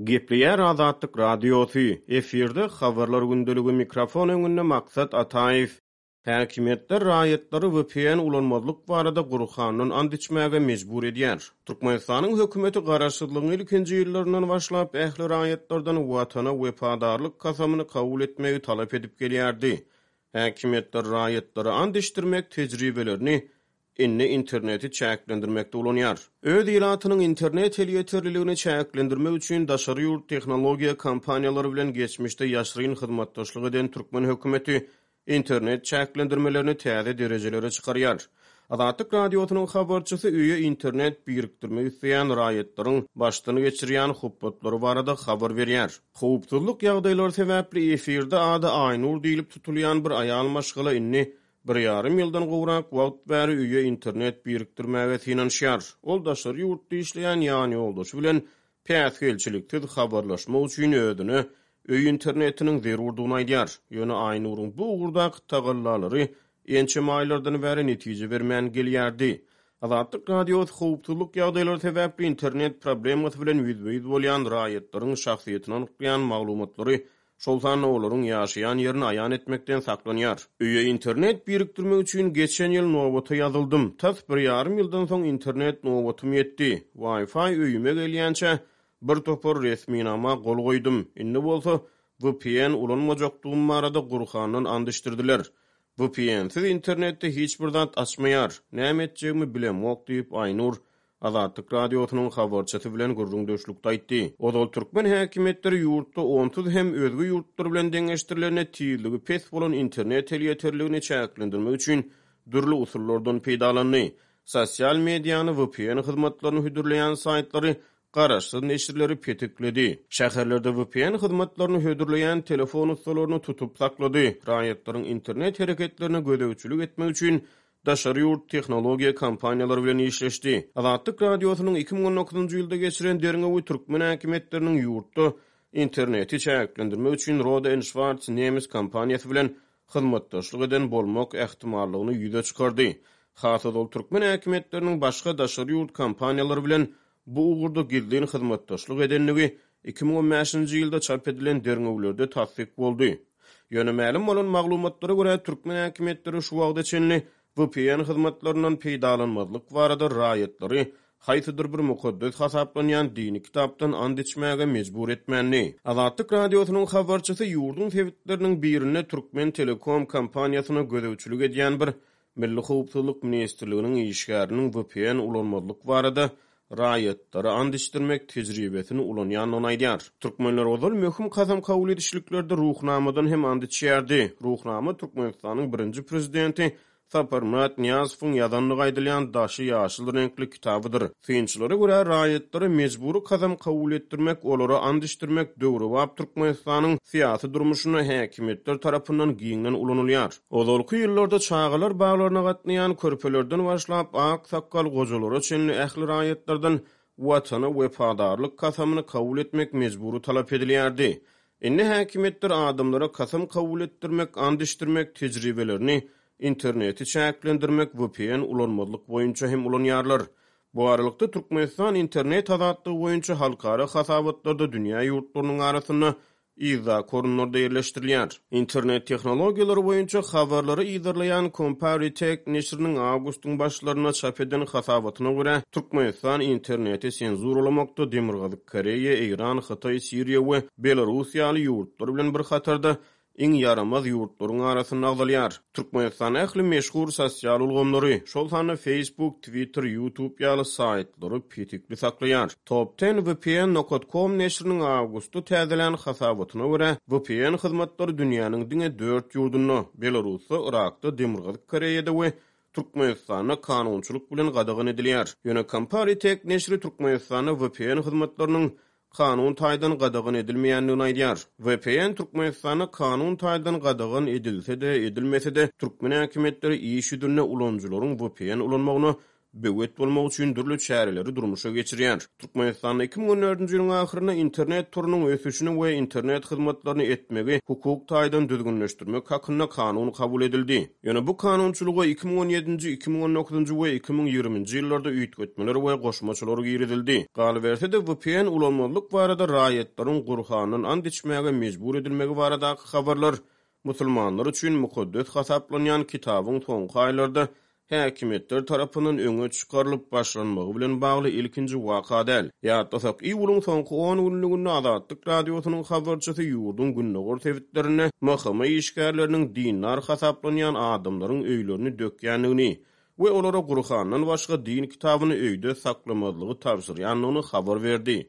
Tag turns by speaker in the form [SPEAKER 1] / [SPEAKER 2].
[SPEAKER 1] Gepleýär Azatlyk Radiosy, efirde Habarlar gündeligi mikrofon öňünde Maksat Ataýew. Häkimiýetler raýatlary vpn ulanmazlyk barada Gurhandan ant içmäge mejbur edýär. Türkmenistanyň hökümeti garaşsyzlygyň ilkinji ýyllaryndan başlap ähli raýatlardan Watana wepadarlyk kasamyny kabul etmegi talap edip gelýärdi. Häkimiýetler raýatlara ant içdirmek tejribelerini indi interneti çäklendirmekde ulanýar. Öz ilatynyň internet elýeterliligini çäklendirmek üçin daşary ýurt tehnologiýa kompaniýalary bilen geçmişde ýaşyryn hyzmatdaşlyk eden türkmen hökümeti internet çäklendirmelerini täze derejelere çykarýar. Azatlyk Radiosynyň habarçysy öýe internet birikdirmek isleýän raýatlaryň başdan geçirýän hupbatlary barada habar berýär. Howpsuzlyk ýagdaýlary sebäpli efirde ady Aýnur diýlip tutulýan bir aýal maşgala indi Bir ýarym ýyldan gowrak wagt bäri öýe internet birikdirmäge synanyşýar. Ol daşary ýurtda işleýän ýanýoldaşy bilen päsgelçiliksiz habarlaşmak üçin özüne öý internetiniň zerurdygyny aýdýar. Ýöne Aýnuryň bu ugurdaky tagallalary ençeme aýlardan bäri netije bermän gelýärdi. Azatlyk Radiosy howpsuzlyk ýagdaýlary sebäpli internet problemasy bilen ýüzbe-ýüz bolýan raýatlaryň şahsyýetini anyklaýan maglumatlary şol sanda olaryň ýaşaýan ýerini aýan etmekden saklanýar. Öýe internet birikdirmek üçin geçen ýyl nobata ýazyldym. Tas bir ýarym ýyldan soň internet nobatym ýetdi. Wi-Fi öýüme gelýänçä bir topar resminama gol goýdum. Indi bolsa vpn ulanmajakdygym barada Gurhandan ant içdirdiler. VPN-siz internetde hiç bir zat açmaýar. Näme etjegimi bilemok diýip, Aýnur Azatlyk Radiosynyň habarçysy bilen gürrüňdeşlikde aýtdy. Ozal türkmen häkimiýetleri ýurtda onsuz hem özge ýurtlar bilen deňeşdirilende tizligi pes bolan internet elýeterligini çäklendirmek üçin dürli usullardan peýdalandy. Sosial mediany, vpn hyzmatlaryny hödürleýän saýtlary, garaşsyz neşirleri petikledi. Şäherlerde vpn hyzmatlaryny hödürleýän telefon ussalaryny tutup saklady. Raýatlaryň internet hereketlerine gözegçilik etmek üçin daşary ýurt tehnologiýa kompaniýalary bilen işleşdi. Azatlyk Radiosynyň 2019-njy ýylda geçiren derňewi türkmen häkimiýetleriniň ýurtda interneti çäklendirmek üçin Rohde and Schwarz nemes kompaniýasy bilen hyzmatdaşlyk eden bolmak ähtimallygyny ýüze çykardy. Has ozal türkmen häkimiýetleriniň başga daşary ýurt kompaniýalary bilen bu ugurda gizlin hyzmatdaşlyk edendigi 2015-nji ýylda çap edilen derňewlerde tassyk boldy. Ýöne mälim bolan maglumatlara görä, türkmen häkimiýetleri şu wagta çenli vpn hyzmatlaryndan peýdalanmazlyk barada raýatlary haýsydyr bir mukaddes hasaplanýan dini kitapdan ant içmäge mejbur etmändi. Azatlyk Radiosynyň habarçysy ýurduň sebitleriniň birinde Türkmen Telekom kompaniýasyna gözegçilik edýän bir Milli howpsuzlyk ministrliginiň işgäriniň vpn ulanmazlyk barada raýatlara ant içdirmek tejribesini ulanýandygyny aýdýar. Türkmenler ozal möhüm kasam kabul edişliklerde Ruhnamadan hem ant içýärdi. Ruhnama Türkmenistanyň birinji prezidenti Saparmyrat Nyýazowyň ýazandygy aýdylýan daşy ýaşyl reňkli kitabydyr. Synçylara görä, raýatlara mejbury kasam kabul etdirmek, olara ant içdirmek döwrebap Türkmenistanyň syýasy durmuşynda häkimiýetler tarapyndan giňden ulanylýar. Ozalky ýyllarda çagalar baglaryna gatnaýan körpelerden başlap, ak sakgal gojalara çenli ähli raýatlardan Watana wepadarlyk kasamyny kabul etmek mejbury talap edilýärdi. Indi häkimiýetler adamlara kasam kabul etdirmek, ant içdirmek tejribelerini interneti çäklendirmek, vpn ulanmazlyk boýunça hem ulanýarlar. Bu aralykda, Türkmenistan internet azatlygy boýunça halkara hasabatlarda dünýä ýurtlarynyň arasynda yzdaky orunlarda ýerleşdirilýär. Internet tehnologiýalary boýunça habarlary yzarlaýan Comparitech neşiriniň awgustyň başlarynda çap eden hasabatyna görä, Türkmenistan interneti senzuralamakda Demirgazyk Koreýa, Eýran, Hytaý, Siriýa we Belarus ýaly ýurtlar bilen bir hatarda iň ýaramaz ýurtlaryň arasynda agzalýar. Türkmenistan ähli meşhur sosial ulgamlary, şol sanda Facebook, Twitter, YouTube ýaly saýtlary petikli saklaýar. Top Ten VPN nokat kom neşiriniň awgustda täzelän hasabatyna görä, VPN hyzmatlary dünýäniň diňe dört ýurdunda, Belarusda, Yrakda, Demirgazyk Koreýada we Türkmenistanda kanunçylyk bilen gadagan edilýär. Ýöne Comparitech neşiri Türkmenistanda VPN hyzmatlarynyň kanun taýdan gadagan edilmeýändigini aýdýar. Vpn Türkmenistanda kanun taýdan gadagan edilse-de, edilmese-de, türkmen häkimiýetleri iş ýüzünde ulanyjylaryň vpn ulanmagyna. böwet bolmak üçin dürli çäreleri durmuşa geçirýär. Türkmenistanda 2014-nji ýylyň ahyrynda internet torunyň ösüşini we internet hyzmatlaryny etmegi hukuk taýdan düzgünleşdirmek hakynda kanun kabul edildi. Ýöne bu kanunçylyga 2017-nji, 2019-njy we 2020-nji ýyllarda üýtgetmeler we goşmaçalar girizildi. Galyberse-de, vpn ulanmazlyk barada raýatlaryň Gurhandan ant içmäge mejbur edilmegi baradaky habarlar musulmanlar üçin mukaddes hasaplanýan kitabyň soňky aýlarda häkimiýetler tarapyndan öňe çykarylyp başlanmagy bilen bagly ilkinji waka däl. Ýatlasak, iýulyň soňky on günlüginde Azatlyk Radiosynyň habarçysy ýurduň gündogar sebitlerinde MHM işgärleriniň dindar hasaplanýan adamlaryň öýlerini dökýändigini we olara Gurhandan başga din kitabyny öýde saklamazlygy tabşyrýandygyny habar berdi.